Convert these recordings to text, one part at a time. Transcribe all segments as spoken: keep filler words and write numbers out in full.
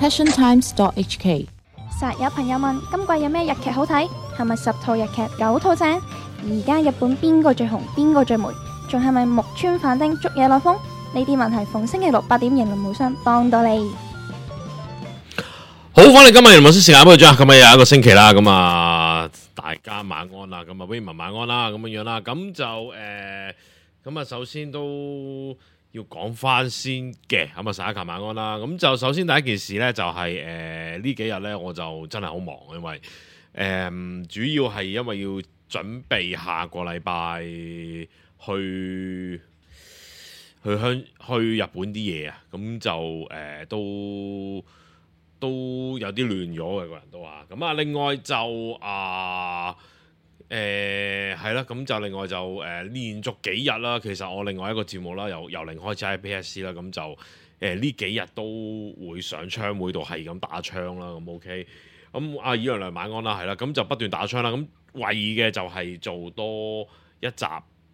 passion times dot h k。實有朋友問今季有咩日劇好睇？係咪十套日劇九套正？而家日本邊個最紅？邊個最霉？仲係咪木村反町捉野內風？呢啲問題逢星期六八點迎龍無雙幫到你。好，翻嚟今日迎龍無雙時間，不過今日又一個星期啦，咁啊大家晚安啦，咁啊 Raymond 晚安啦，咁樣樣啦，咁就誒，咁、呃、啊首先都要講翻先嘅，咁啊十一球晚安啦，咁就首先第一件事咧就係、是、誒、呃、呢幾日咧我就真係好忙，因為誒、呃、主要係因為要準備下個禮拜去去香去日本啲嘢啊，咁就誒、呃、都都有啲亂咗嘅個人都話，咁啊另外就啊誒係啦，咁、呃、就另外就誒、呃、連續幾日啦，其實我另外一個節目啦，由由零開始喺 P S C 啦，咁就誒呢、呃、幾日都會上槍會度係咁打槍啦，咁 OK，咁阿以亮亮晚安啦，係啦，咁就不斷打槍啦，咁為嘅就係做多一集，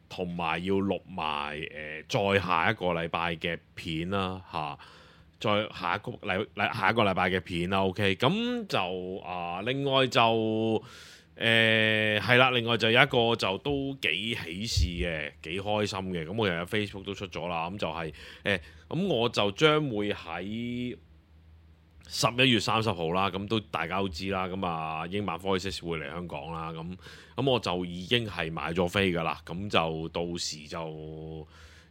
同埋要錄埋誒再下一個禮拜嘅片啦嚇。再下一個禮禮下一個禮拜嘅片啦 ，OK，咁就啊、呃，另外就誒係啦，另外就有一個就都幾喜事嘅，幾開心嘅，咁我又有 Facebook 都出咗啦，咁就係、是、誒，咁、呃、我就將會喺十一月三十號啦，咁都大家都知啦，咁啊英版科技會嚟香港啦，咁咁我就已經係買咗飛噶啦，咁就到時就。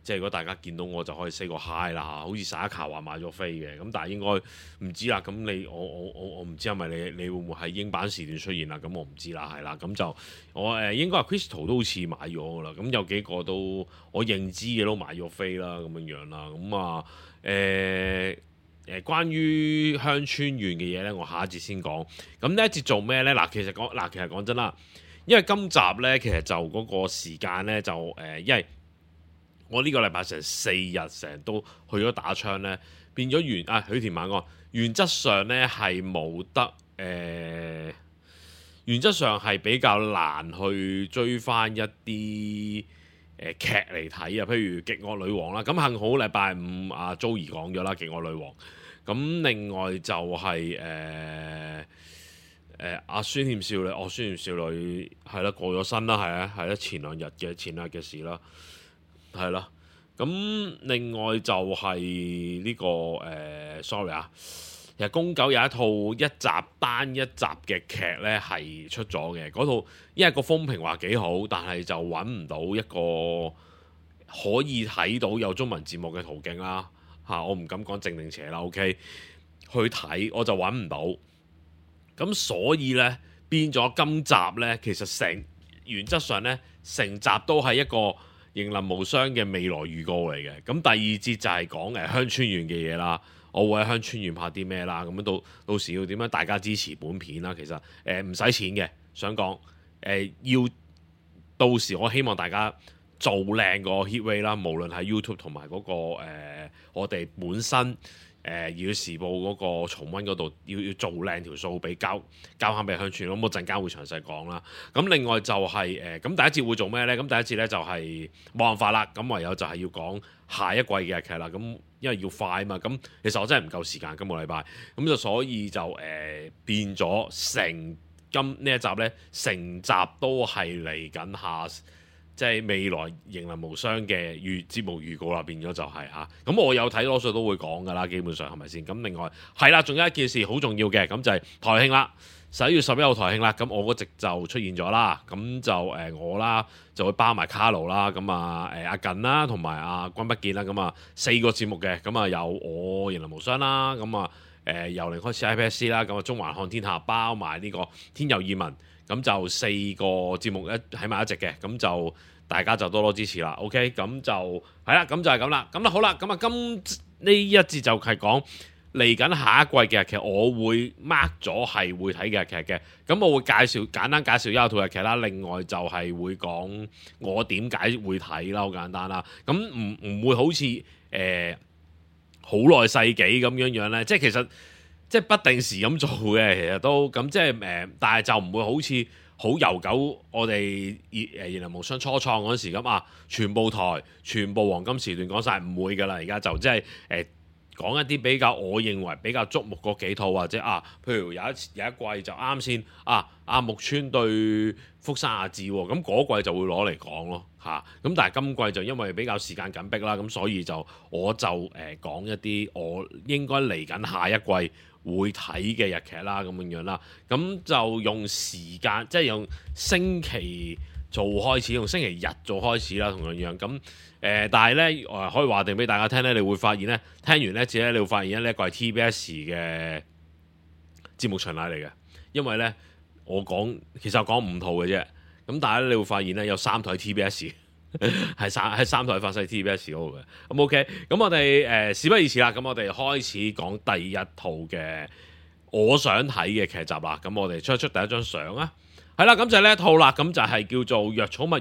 即係如果大家見到我就可以 say 個 hi 啦，好似沙卡話買咗飛嘅，咁但係應該唔知啦。咁你我我我我唔知係咪你你會唔會喺英版時段出現啦？咁我唔知啦，係啦。咁就我誒、呃、應該係 Crystal 都好似買咗噶啦。咁有幾個都我認知嘅都買咗飛啦，咁樣樣啦。咁啊誒誒，關於鄉村縣嘅嘢咧，我下一節先講。咁呢一節做咩咧？嗱，其實講嗱，其實講真啦，因為今集咧，其實就嗰個時間咧就誒、呃，因為我呢個禮拜成四日成日都去咗打槍呢，變咗原啊許田晚安，原則上呢係冇得誒、呃，原則上係比較難去追翻一啲誒、呃、劇嚟睇啊，譬如《極惡女王》啦，咁幸好禮拜五阿 Joey 講咗啦，《極惡女王》，咁另外就係誒誒阿孫劍少女，哦孫劍少女係啦過咗身啦，係啊係啦前兩日嘅前兩日嘅事啦。係啦，咁另外就係呢、這個誒、呃、sorry 啊，其實宮九有一套一集單一集嘅劇呢係出咗嘅，嗰套因為個風評話幾好，但係就揾唔到一個可以睇到有中文字幕嘅途徑啦嚇、啊，我唔敢講正定邪啦 ，OK，去睇我就揾唔到，咁所以呢，變咗今集呢，其實成原則上呢，成集都係一個迎難無雙嘅未來預告嚟嘅，咁第二節就係講誒鄉村縣嘅嘢啦，我會喺鄉村縣拍啲咩啦，咁樣到到時要點樣大家支持本片啦，其實誒唔使錢嘅，想講誒、呃、要到時我希望大家做靚個 hit rate 啦，無論係 YouTube 同埋嗰個、呃、我哋本身。誒、呃、要時報嗰個重溫嗰度要要做靚條數俾交交翻俾鄉村，咁我陣間會詳細講啦。咁另外就係誒咁第一節會做咩呢？咁第一節呢就係冇辦法啦，咁唯有就係要講下一季嘅劇啦。咁因為要快啊嘛，咁其實我真係唔夠時間今個禮拜，咁就所以就誒、呃、變咗成今呢一集呢，成集都係嚟緊下。即係未來迎難無雙嘅預節目預告啦，變咗就係、是、嚇。咁、啊、我有睇多數都會講㗎啦，基本上係咪先？咁另外係啦，仲有一件事好重要嘅，咁就係台慶啦，十一月十一號台慶啦。咁我嗰席就出現咗啦，咁就誒、呃、我啦就會包埋卡路啦，咁啊誒阿近啦，同埋阿君不見啦，咁啊四個節目嘅，咁啊有我迎難無雙啦，咁啊誒由零開始 I P S C 啦，咁啊中環看天下包埋呢個天佑異聞。咁就四個節目一喺埋一齊嘅，咁就大家就多多支持啦。OK，咁就係啦，咁就係咁啦。咁啦好啦，咁啊今呢一節就係講嚟緊下一季嘅日劇，我會 mark 咗係會睇嘅日劇嘅。咁我會介紹簡單介紹一套日劇啦。另外就係會講我點解會睇啦，好簡單啦。咁唔唔會好似誒好耐世紀咁樣樣咧，即係其實。即係不定時咁做嘅，其實都咁即係誒、呃，但係就唔會好似好悠久。我哋誒迎難無雙初創嗰陣時咁啊，全部台全部黃金時段講晒，唔會㗎啦。而家就即係誒講一啲比較我認為比較觸目嗰幾套，或者啊，譬如有一次有一季就啱先啊，阿木村對福山雅治喎，咁嗰季就會攞嚟講咯嚇。咁、啊、但係今季就因為比較時間緊迫啦，咁所以就我就誒、呃、講一啲我應該嚟緊下一季會睇嘅日劇啦，咁樣樣啦。咁就用時間即係用星期做開始，用星期日做開始啦，同樣樣咁誒。但係咧誒可以話定俾大家聽咧，你會發現咧，聽完呢次咧，你會發現咧呢一個係 T B S 嘅節目巡禮嚟嘅，因為咧我講其實我講五套嘅啫，咁但係咧你會發現咧有三台 T B S 係三係三台發晒 T B S 嗰度嘅。咁 OK，咁我哋誒、呃、事不宜遲啦，咁我哋開始講第一套嘅我想睇嘅劇集啦。咁我哋出一出第一張相啊！係啦，咁就係呢一套啦，咁就係叫做《藥草物語》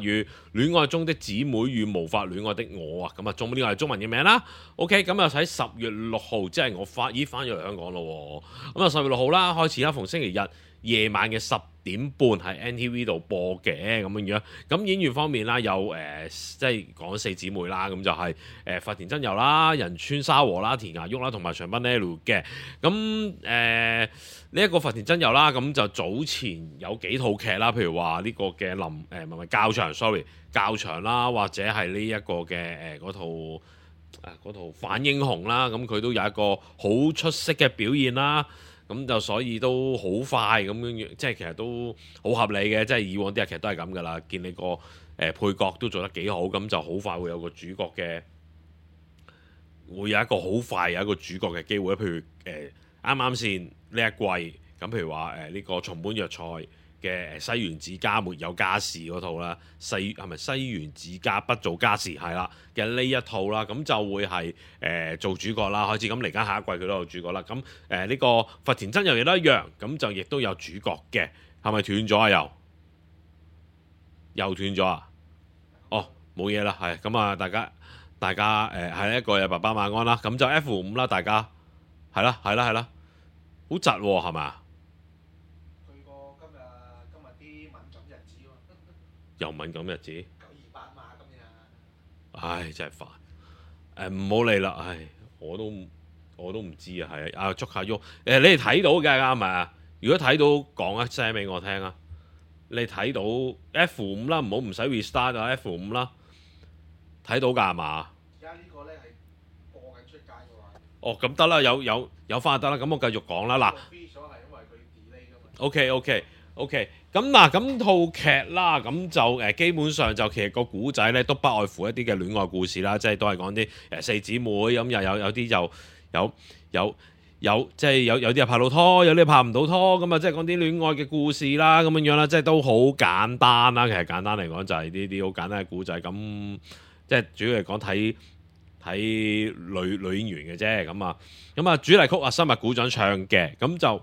戀愛中的姊妹與無法戀愛的我啊，咁啊，中呢個係中文嘅名啦。OK，咁啊喺十月六號，即係我翻咦翻咗嚟香港咯。咁啊十月六號啦，開始啦，逢星期日夜晚嘅十點半喺 N T V 度播嘅咁樣樣。咁演員方面啦，有誒、呃、即係講四姊妹啦，咁就係誒發田真由啦、仁川沙和啦、田芽郁啦，同埋長濱呢路嘅。咁誒呢一個發田真由啦，咁就早前有幾套劇啦，譬如話呢個嘅林誒唔係唔係教場 sorry 教場啦，或者係呢一個嘅誒嗰套誒嗰套反英雄啦，咁佢都有一個好出色嘅表現啦。咁就所以都好快咁樣，即係其實都好合理嘅，即係以往啲日劇都係咁噶啦。見你個誒、呃、配角都做得幾好，咁就好快會有個主角嘅，會有一個好快有一個主角嘅機會。譬如誒啱啱先呢一季，咁譬如話誒呢個松本藥菜嘅西園子家沒有家事嗰套啦，西係咪西園子家不做家事係啦嘅呢一套啦，咁就會係誒、呃、做主角啦，開始咁嚟緊下一季佢都有主角啦，咁誒呢個佛田真由亦都一樣，咁就亦都有主角嘅，係咪斷咗啊？又又斷咗啊？哦，冇嘢啦，係咁啊，大家大家誒係一個有爸爸晚安啦，咁就 F 五啦，大家係啦係啦係啦，好窒喎係咪？又敏感日子，九二八嘛今日，唉真係煩，誒唔好理啦，唉我都我都唔知啊，係啊捉下喐，誒、呃、你哋睇到嘅啱咪啊？如果睇到講一聲俾我聽啊，你睇到 F 五啦，唔好唔使 restart 啊 F 五啦，睇到㗎係嘛？而家呢個咧係播緊出街嘅話，哦咁得啦，有有有翻就得啦，咁我繼續講啦嗱。OK OK OK。咁嗱，咁套劇啦，咁就誒基本上就其實個古仔咧都不外乎一啲嘅戀愛故事啦，即係都係講啲誒四姊妹咁，又有有啲就有有有即係有有啲係拍到拖，有啲拍唔到拖，咁啊即係講啲戀愛嘅故事啦，咁樣樣啦，即係都好簡單啦。其實簡單嚟講就係呢啲好簡單嘅故仔，咁即係主要係講睇睇女女演員嘅啫，咁啊咁啊主題曲啊，生物股長唱嘅，咁就。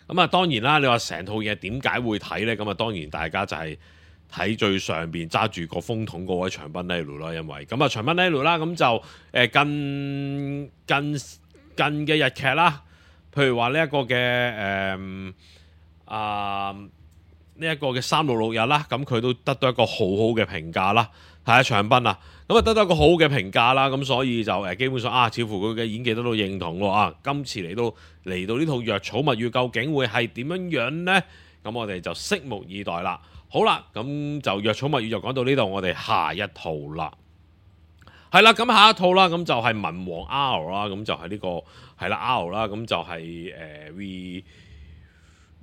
咁啊，當然啦！你話成套嘢點解會睇呢？咁啊，當然大家就係睇最上邊揸住個風筒嗰位長濱呢路啦，因為咁啊長濱呢路啦，咁就誒近近近嘅日劇啦，譬如話呢一個嘅誒啊呢一個嘅三六六日啦，咁佢都得到一個好好嘅評價啦，係啊長濱啊，咁啊得到一個好嘅評價啦，咁所以就誒基本上啊，似乎佢嘅演技得到認同喎啊！今次嚟到嚟到呢套藥草物語究竟會係點樣樣呢？咁我哋就拭目以待啦。好啦，咁就藥草物語就講到呢度，我哋下一套啦。係啦，咁下一套啦，咁就係文王 R 啦，咁就係呢、這個係啦 R 啦，咁就係、是、誒、呃、re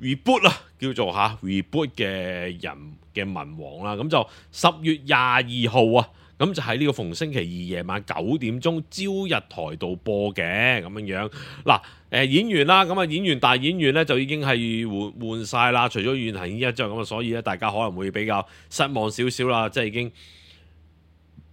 reboot 啦，叫做嚇、啊、reboot 嘅人嘅文王啦，咁就十月廿二號啊。咁就喺呢個逢星期二夜晚九點鐘朝日台度播嘅咁樣樣。嗱，誒演員啦，咁啊演員大演員咧就已經係換換曬啦，除咗遠藤憲一之外，咁啊所以咧大家可能會比較失望少少啦，即係已經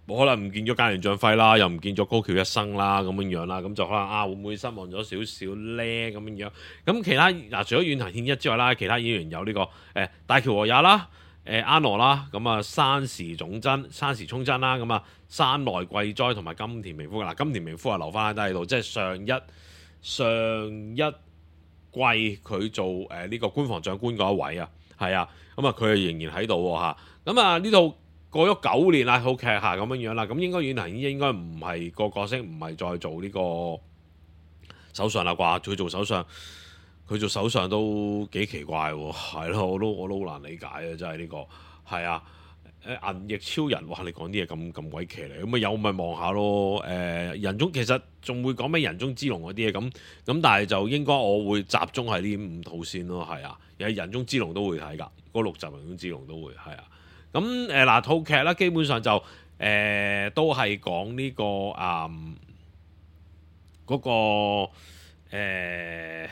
可能唔見咗菅原將輝啦，又唔見咗高橋一生啦，咁樣樣啦，咁就可能啊會唔會失望咗少少咧咁樣樣？咁其他嗱除咗遠藤憲一之外啦，其他演員有呢、這個誒、呃、大橋和也啦。誒安諾啦，咁啊山時總真、山時聰真啦，咁啊山內貴哉同埋金田明夫嗱，金田明夫啊留翻喺度，即係上一上一季佢做誒呢、呃這個官房長官嗰一位啊，係啊，咁啊佢仍然喺度喎嚇，咁啊呢套過咗九年啦，套劇下咁樣樣啦，咁應該遠藤應該唔係個角色，唔係再做呢個首相啦啩？佢做首相，佢做首相都幾奇怪喎，係咯，我都我都好難理解啊，真係呢、這個係啊。誒銀翼超人，哇！你講啲嘢咁咁鬼騎嚟，咁咪有咪望下咯。誒、呃、人中其實仲會講咩人中之龍嗰啲嘢咁咁，但係就應該我會集中喺呢五套先咯，係啊。有人中之龍都會睇㗎，嗰六集人中之龍都會係啊。咁誒嗱套劇啦，基本上就誒、呃、都係講呢、這個啊嗰、那個、呃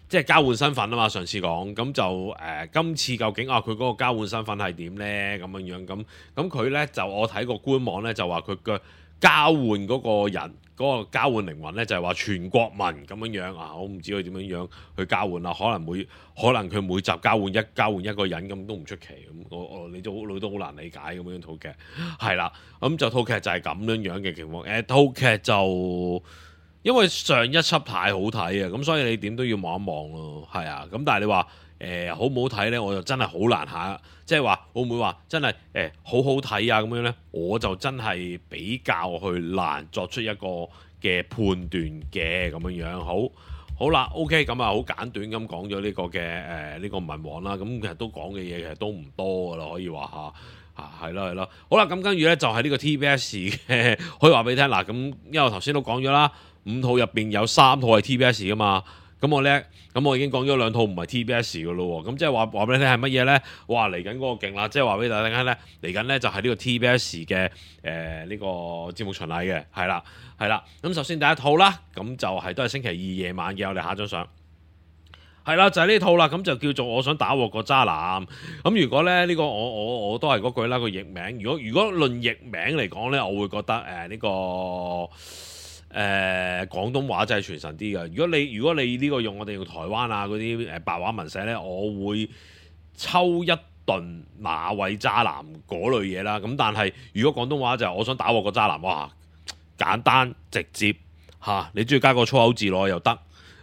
即係交換身份啊嘛，上次講咁就誒、呃，今次究竟啊佢嗰個交換身份係點呢？咁樣樣咁咁佢呢，就我睇個官網呢，就話佢嘅交換嗰個人嗰、嗰個交換靈魂呢，就係、係、話全國民咁樣樣啊！我唔知佢點樣樣去交換啦，可能每可能佢每集交換一交換一個人咁都唔出奇咁，我我你都你都好難理解咁樣套劇係啦，咁就套劇就係咁樣樣嘅情況。誒、呃、套劇就。因為上一輯太好睇啊，咁所以你點都要望一望咯，係啊。咁但係你話誒、呃、好唔好睇呢？我就真係好難下，即係話會唔會話真係誒、呃、好好睇啊咁樣呢？我就真係比較去難作出一個嘅判斷嘅咁樣樣。好，好啦 ，OK，咁啊好簡短咁講咗呢個嘅誒呢個文王啦。咁其實都講嘅嘢其實都唔多噶啦，可以話下。啊，係啦係啦。好啦，咁跟住呢，就係、是、呢個 T B S 嘅，可以話俾你聽嗱。咁因為我頭先都講咗啦。五套入邊有三套係 T B S 噶嘛，咁我咧，咁我已經講咗兩套唔係 T B S 噶咯喎，咁即係話話俾你聽係乜嘢咧？哇，嚟緊嗰個勁啦，即係話俾大家聽咧，嚟緊咧就係呢個 T B S 嘅誒呢個節目巡禮嘅，係啦係啦。咁首先第一套啦，咁就係都係星期二夜晚嘅，我哋下張相係啦，就係、是、呢套啦，咁就叫做我想打鑊個渣男。咁如果咧呢、這個我我我都係嗰句啦，個譯名，如果如果論譯名嚟講咧，我會覺得誒呢、呃這個。誒、呃、廣東話真係傳神啲嘅。如果你如果你呢個用我哋用台灣啊嗰啲誒白話文寫呢，我會抽一頓哪位渣男嗰類嘢啦。咁但係如果廣東話就係我想打鑊個渣男，哇簡單直接嚇、啊，你中意加個粗口字落去又得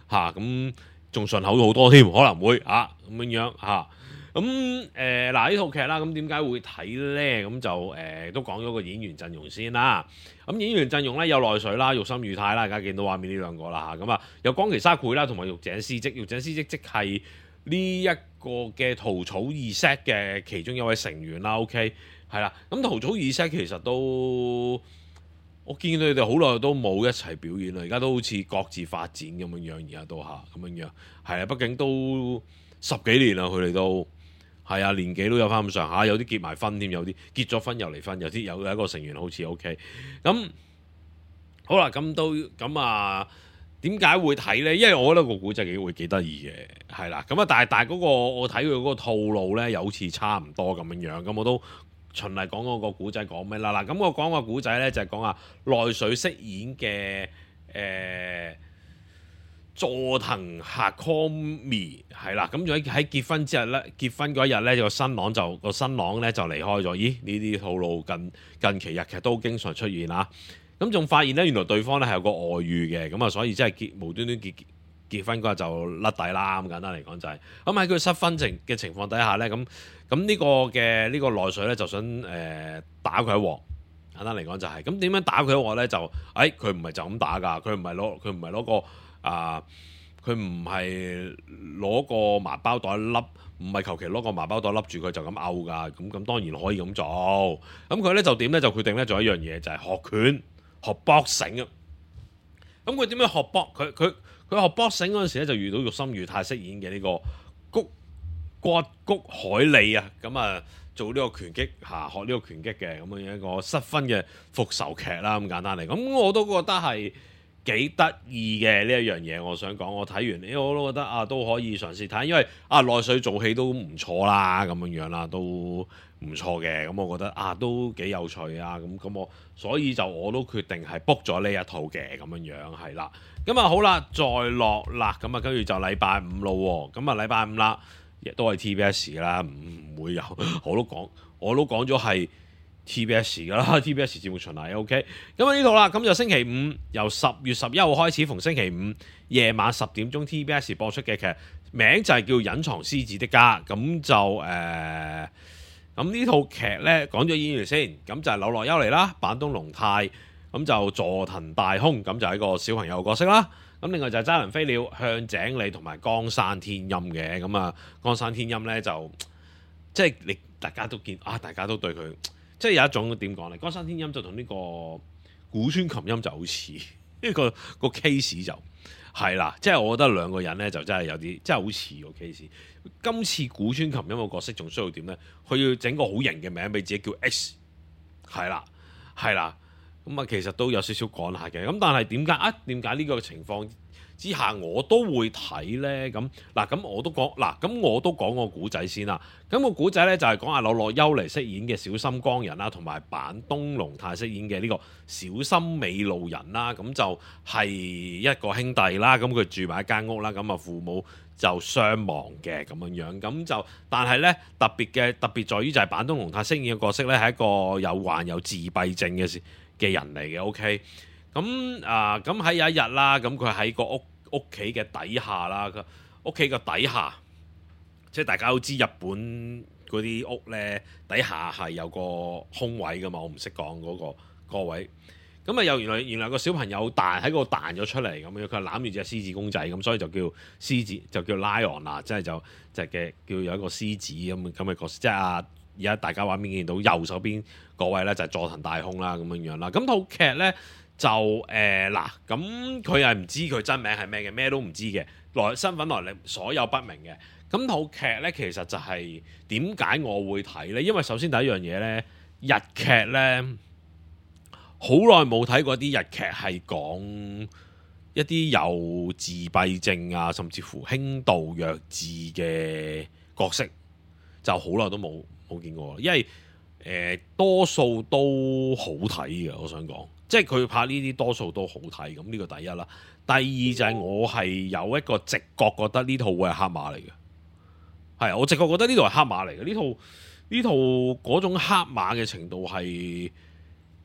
嚇，咁仲順口好多添，可能會嚇咁樣樣嚇。咁誒嗱呢套劇啦，咁點解會睇咧？咁就誒、呃、都講咗個演員陣容先啦。咁演員陣容咧有內水啦、玉森裕太啦，大家見到畫面呢兩個啦嚇。咁啊有岡崎紗繪啦，同埋玉井詩織。玉井詩織即係呢一個嘅桃草二 set 嘅其中一位成員啦。OK 係啦。咁桃草二 set 其實都我見到佢哋好耐都冇一齊表演啦，而家都好似各自發展咁樣樣，而家都嚇咁樣樣係啊。畢竟都十幾年啦，佢哋都。係啊，年紀都有翻咁上下，有啲結埋婚添，有啲結咗婚又離婚，有啲有一個成員好似 OK。咁好啦，咁都咁啊，點解會睇呢？因為我覺得個古仔幾會幾得意嘅，係啦。咁啊，但係但係嗰個我睇佢嗰個套路呢，又好似差唔多咁樣樣。咁我都循例講嗰個古仔講咩啦？嗱，咁我講個古仔呢，就係講啊內水飾演嘅誒。呃佐藤夏康美係啦，咁就喺喺結婚之日咧，結婚嗰一日咧，個新郎就個新郎咧就離開咗。咦？呢啲套路近近期日劇都經常出現啦。咁仲發現咧，原來對方咧係有個外遇嘅，咁啊，所以即係結無端端結結婚嗰日就甩底啦。咁簡單嚟講就係咁喺佢失婚情嘅情況底下咧，咁咁呢個嘅呢個內水咧就想誒、呃、打佢一鑊。簡單嚟講就係咁點樣打佢一鑊咧？就誒佢唔係就咁打㗎，佢唔係攞佢唔係攞個。啊！佢唔係攞個麻包袋笠，唔係求其攞個麻包袋笠住佢就咁毆㗎。咁咁當然可以咁做。咁佢咧就點咧？就決定咧做一樣嘢，就係、是、學拳、學 boxing 啊。咁佢點樣學 box？佢佢佢學 boxing 嗰陣時咧，就遇到玉森裕太飾演嘅呢個谷骨谷海里啊。咁啊，做呢個拳擊嚇、啊，學呢個拳擊嘅咁樣一個失婚嘅復仇劇啦。咁簡單嚟，咁我都覺得係。幾得意嘅呢一樣嘢，我想講，我睇完呢，我都覺得啊都可以嘗試睇，因為啊內水做戲都唔錯啦，咁樣樣啦，都唔錯嘅，咁我覺得啊都幾有趣啊，咁咁我所以就我都決定係 book 咗呢一套嘅咁樣樣係啦，咁啊好啦，再落啦，咁啊跟住就禮拜五咯，咁啊禮拜五啦，亦都係 T B S 啦，唔會有，我都講，我都講咗係。T B S 噶啦 ，T B S 節目巡禮 OK，咁啊呢套啦，咁就星期五由十月十一號開始，逢星期五夜晚十點鐘 T B S 播出嘅劇，名就係叫《隱藏獅子的家》，咁就誒咁呢套劇呢，講咗演員先，咁就係柳樂優彌啦、板東龍太，咁就佐藤大空，咁就係一個小朋友嘅角色啦。咁另外就係齋藤飛鳥、向井理同埋岡山天音嘅。咁啊，岡山天音呢，就即係你大家都見啊，大家都對佢即係有一種點講呢？岡山天音就同呢個古川琴音就好似，呢個個 case 就係啦，即係我覺得兩個人呢，就真係有啲真係好似個 case。今次古川琴音個角色仲需要點呢？佢要整個好型嘅名俾自己叫 X， 係啦，係啦。咁啊，其實都有少少趕下嘅。咁但係點解啊？點解呢個情況之下我都會睇呢？咁嗱，咁我都講嗱，咁我都講個古仔先啦。咁個古仔呢，就係講阿柳樂優彌飾演嘅小森光人啦，同埋板東龍太飾演嘅呢個小森美路人啦。咁就係一個兄弟啦。咁佢住埋一間屋啦。咁啊，父母就雙亡嘅咁樣樣。咁就但係呢，特別嘅特別在於就係板東龍太飾演嘅角色呢，係一個有患有自閉症嘅嘅人嚟嘅。OK。咁啊，咁喺有一日啦，咁佢喺個屋屋企嘅底下啦，屋企嘅底下，即係大家都知日本嗰啲屋呢，底下係有個空位噶嘛，我唔識講嗰個個位。咁啊，又原來原來個小朋友彈喺嗰度彈咗出嚟咁樣，佢攬住隻獅子公仔，咁所以就叫獅子，就叫 Lion 啦，即係就就嘅叫有一個獅子咁咁嘅角色，即係啊而家大家畫面見到右手邊嗰位呢，就係佐藤大空啦咁樣樣啦。咁套劇呢。就誒嗱，咁佢係唔知佢真名係咩嘅，咩都唔知嘅，來身份來歷所有不明嘅。咁套劇呢，其實就係點解我會睇呢？因為首先第一樣嘢呢，日劇呢，好耐冇睇過啲日劇係講一啲有自閉症啊，甚至乎輕度弱智嘅角色，就好耐都冇冇見過。因為誒、呃、多數都好睇嘅，我想講。即係佢拍呢啲多數都好睇，咁呢個第一啦。第二就係我係有一個直覺覺得呢套會係黑馬嚟嘅，係我直覺覺得呢套係黑馬嚟嘅。呢套呢套嗰種黑馬嘅程度係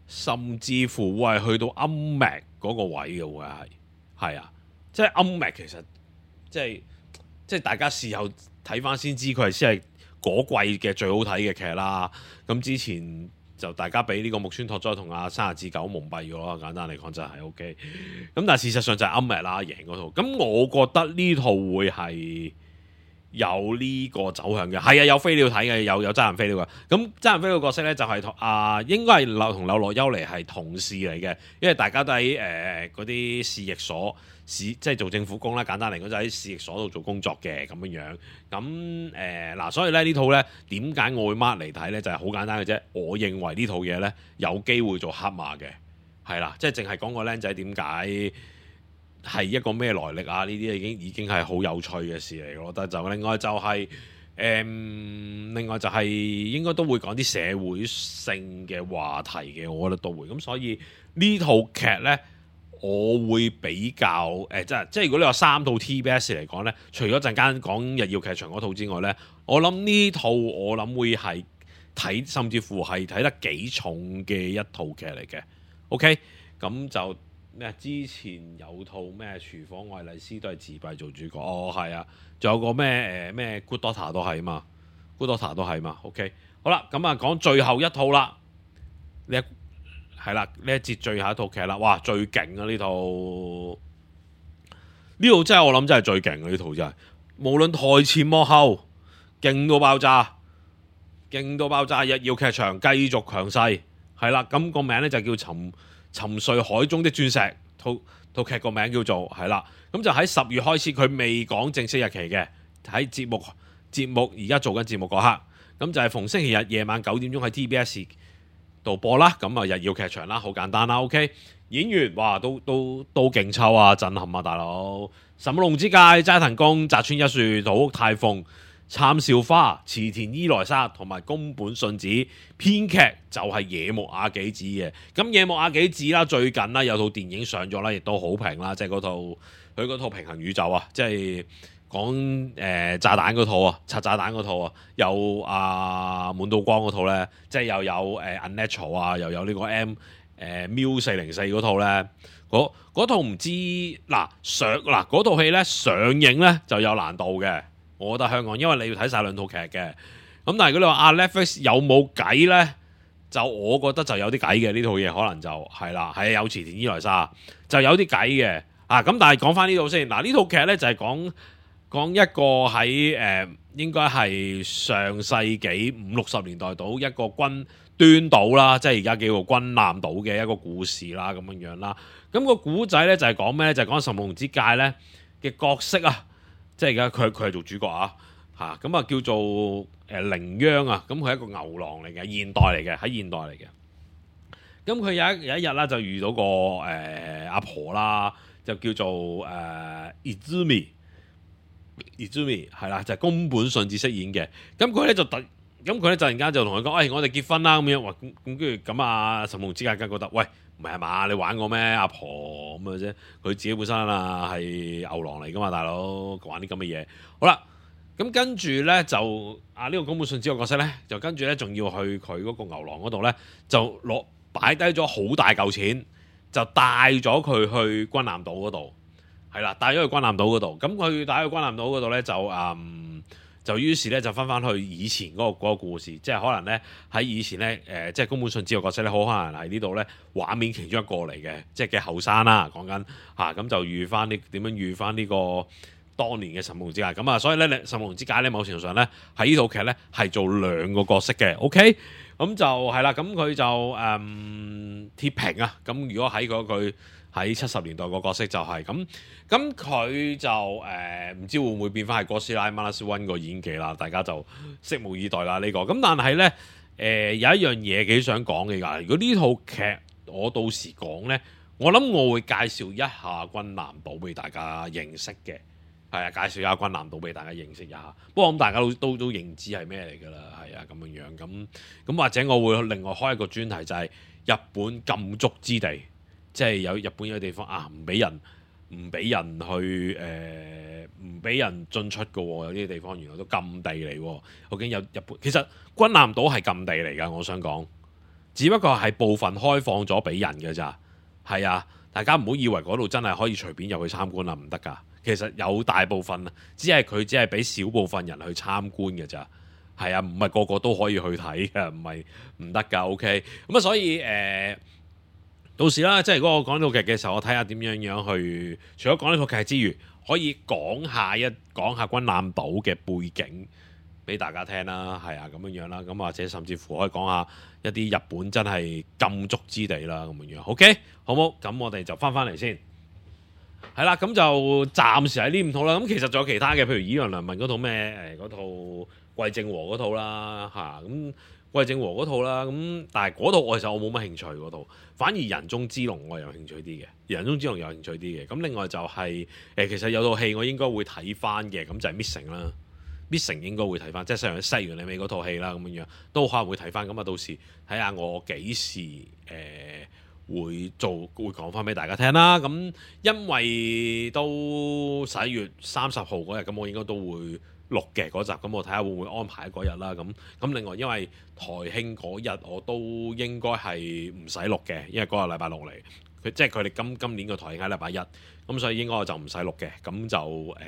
甚至乎會係去到暗脈嗰個位嘅，會係係啊，即係暗脈其實即係即係大家事後睇翻先知佢係先係嗰季嘅最好睇嘅劇啦。咁之前。就大家俾呢個木村拓哉同阿山下智久蒙蔽咗咯，簡單嚟講就係 OK。咁但係事實上就係暗滅啦，贏嗰套。咁我覺得呢套會係有呢個走向嘅，係啊，有飛鳥睇嘅，有有真人飛鳥嘅。咁真人飛鳥角色咧就係、是、啊、呃，應該係柳同柳樂優彌係同事嚟嘅，因為大家都喺誒嗰啲市役所市，即係做政府工啦。簡單嚟講就喺市役所度做工作嘅咁樣樣。咁誒嗱，所以咧呢套咧點解我會 mark 嚟睇咧？就係、是、好簡單嘅啫。我認為呢套嘢咧有機會做黑馬嘅，係啦，即係淨係講個僆仔點解。係一個咩來歷啊？呢啲已經已經係好有趣嘅事嚟，我覺得就另外就係、是、誒、嗯，另外就係應該都會講啲社會性嘅話題嘅，我覺得都會。咁所以呢套劇呢，我會比較誒、呃，即係即係如果你話三套 T B S 嚟講呢，除咗陣間講日曜劇場嗰套之外呢，我諗呢套我諗會係睇，甚至乎係睇得幾重嘅一套劇嚟嘅。OK，咁就。咩？之前有套咩廚房愛麗絲都係自閉做主角，哦係啊，仲有個咩誒咩 Good Daughter 都係嘛 ，Good Daughter 都係嘛 ，OK， 好啦，咁啊講最後一套啦，呢一係啦呢一節最後一套劇啦，哇最勁啊呢套，呢套真係我諗真係最勁啊呢套真係，無論台前幕後，勁到爆炸，勁到爆炸，日曜劇場繼續強勢，係啦，咁、個名咧就叫沉。沉睡海中的鑽石，套套劇個名叫做係啦，咁就喺十月開始，佢未講正式日期嘅，喺節目節目而家做緊節目嗰刻，咁就係逢星期日夜晚九點鐘喺 T B S 度播啦，咁啊日曜劇場啦，好簡單啦 ，OK， 演員哇都都都勁抽啊，震撼啊大佬，神木隆之介、齋藤工、澤村一樹、土屋太鳳、杉咲花、池田伊來沙同埋宮本信子，編劇就係野木亞紀子嘅。咁野木亞紀子啦，最近啦有套電影上咗啦，亦都好評啦，即係嗰套佢嗰套平衡宇宙啊，即係講誒炸彈嗰套啊，拆炸彈嗰套啊，有阿滿島光嗰套咧，即係又有誒 Unnatural 啊，又有呢個 M 誒 Miu 四零四嗰套咧，嗰套唔知嗱上嗱嗰套戲咧上映咧就有難度嘅。我覺得香港，因為你要睇晒兩套劇嘅，咁咁但係如果你話啊 Netflix 有冇計咧？就我覺得就有啲計嘅呢套嘢，可能就係啦，係有池田伊萊莎就有啲計嘅啊！咁但係講翻呢套先，嗱呢套劇咧就係講講一個喺誒、呃、應該係上世紀五六十年代度一個軍端島啦，即係而家叫做軍艦島嘅一個故事啦，咁樣樣啦。咁、個古仔咧就係講咩咧？就係講神龍之介咧嘅角色啊，即係而家佢佢係做主角啊。嚇咁啊叫做誒羚羊啊，咁佢係一個牛郎嚟嘅，現代嚟嘅，喺現代嚟嘅。咁佢有一有一日啦，就遇到個誒、呃、阿婆啦，就叫做誒 Izumi Izumi 係啦，就係、是、宮本信子飾演嘅。咁佢咧就突咁佢咧突然間就同佢講：，誒、哎、我哋結婚啦咁樣。哇咁咁跟住咁啊，神龍之介梗覺得喂唔係嘛，你玩我咩阿婆咁嘅啫？佢自己本身啊係牛郎嚟噶嘛，大佬玩啲咁嘅嘢。好啦。咁跟住咧就啊呢、這個宮本信子個角色咧，就跟住咧仲要去佢嗰個牛郎嗰度咧，就攞擺低咗好大嚿錢，就帶咗佢去軍艦島嗰度，係啦，帶咗去軍艦島嗰度。咁佢帶去軍艦島嗰度咧，就嗯就於是咧就翻翻去以前嗰、那個那個故事，即係可能咧喺以前咧誒、呃，即係宮本信子個角色咧，好可能係呢度咧畫面其中一個嚟嘅，即係嘅後生啦，講緊嚇咁就遇翻啲點樣遇翻呢、這個。當年嘅神龍之介咁啊，所以咧，神龍之介咧，某程度上咧喺呢套劇咧係做兩個角色嘅 ，OK，咁就係啦，咁佢就誒、嗯、鐵平啊，咁如果喺嗰句喺七十年代個角色就係、是、咁，咁佢就誒唔、呃、知會唔會變翻係哥斯拉 Minus One 個演技啦，大家就拭目以待啦呢、這個，咁但係咧誒有一樣嘢幾想講嘅㗎，如果呢套劇我到時講咧，我諗我會介紹一下軍艦島俾大家認識嘅。係啊，介紹一下軍艦島俾大家認識一下。不過咁大家都都都認知係咩嚟㗎啦，係啊咁樣樣咁咁或者我會另外開一個專題，就係日本禁足之地，即係有日本有地方啊，唔俾人唔俾人去誒，唔俾人進出㗎喎。有啲地方原來都禁地嚟喎。究竟有日本其實軍艦島係禁地嚟㗎，我想講，只不過係部分開放咗俾人㗎咋。係啊，大家唔好以為嗰度真係可以隨便入去參觀啦，唔得㗎。其實有大部分啊，只係佢只係俾少部分人去參觀嘅咋，係啊，唔係個個都可以去睇嘅，唔係唔得㗎。OK，咁啊，所以誒、呃，到時啦，即係如果我講呢套劇嘅時候，我睇下點樣樣去，除咗講呢套劇之餘，可以講下一講下軍艦島嘅背景俾大家聽啦，係啊，咁樣樣啦，咁或者甚至乎可以講下一啲日本真係禁足之地啦，咁樣樣。OK，好冇？咁我哋就翻翻嚟先。係啦，咁就暫時喺呢五套啦。咁其實仲有其他嘅，譬如《以陽良民》嗰套咩誒嗰套桂正和嗰套啦嚇，咁桂正和嗰套啦。咁但係嗰套我其實我冇乜興趣嗰套，反而《人中之龍》我有興趣啲嘅，《人中之龍》有興趣啲嘅。咁另外就係、是、誒、呃，其實有套戲我應該會睇翻嘅，咁就係 Missing 啦，Missing 應該會睇翻，即係西洋西洋你尾嗰套戲啦，咁樣樣都可能會睇翻。咁啊，到時睇下我幾時誒。呃會做會講翻俾大家聽啦，咁因為都十一月三十號嗰日，咁我應該都會錄嘅嗰集，咁我睇下會唔會安排嗰日啦。咁咁另外因為台慶嗰日我都應該係唔使錄嘅，因為嗰個禮拜六嚟，佢即係佢哋今今年個台慶喺禮拜一，咁所以應該我就唔使錄嘅，咁就誒、呃、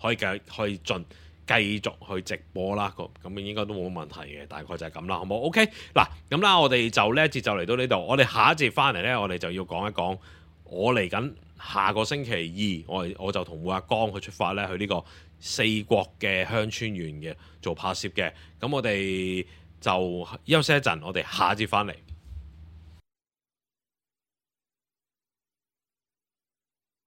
可以繼可以進。繼續去直播啦，咁應該都冇問題嘅，大概就係咁啦，好冇 ？OK，嗱咁啦，我哋就呢一節就嚟到呢度，我哋下一節翻嚟呢，我哋就要講一講我嚟緊下個星期二，我我就同每阿江去出發呢，去呢個四國嘅鄉村縣嘅做拍攝嘅，咁我哋就休息一陣，我哋下一節翻嚟。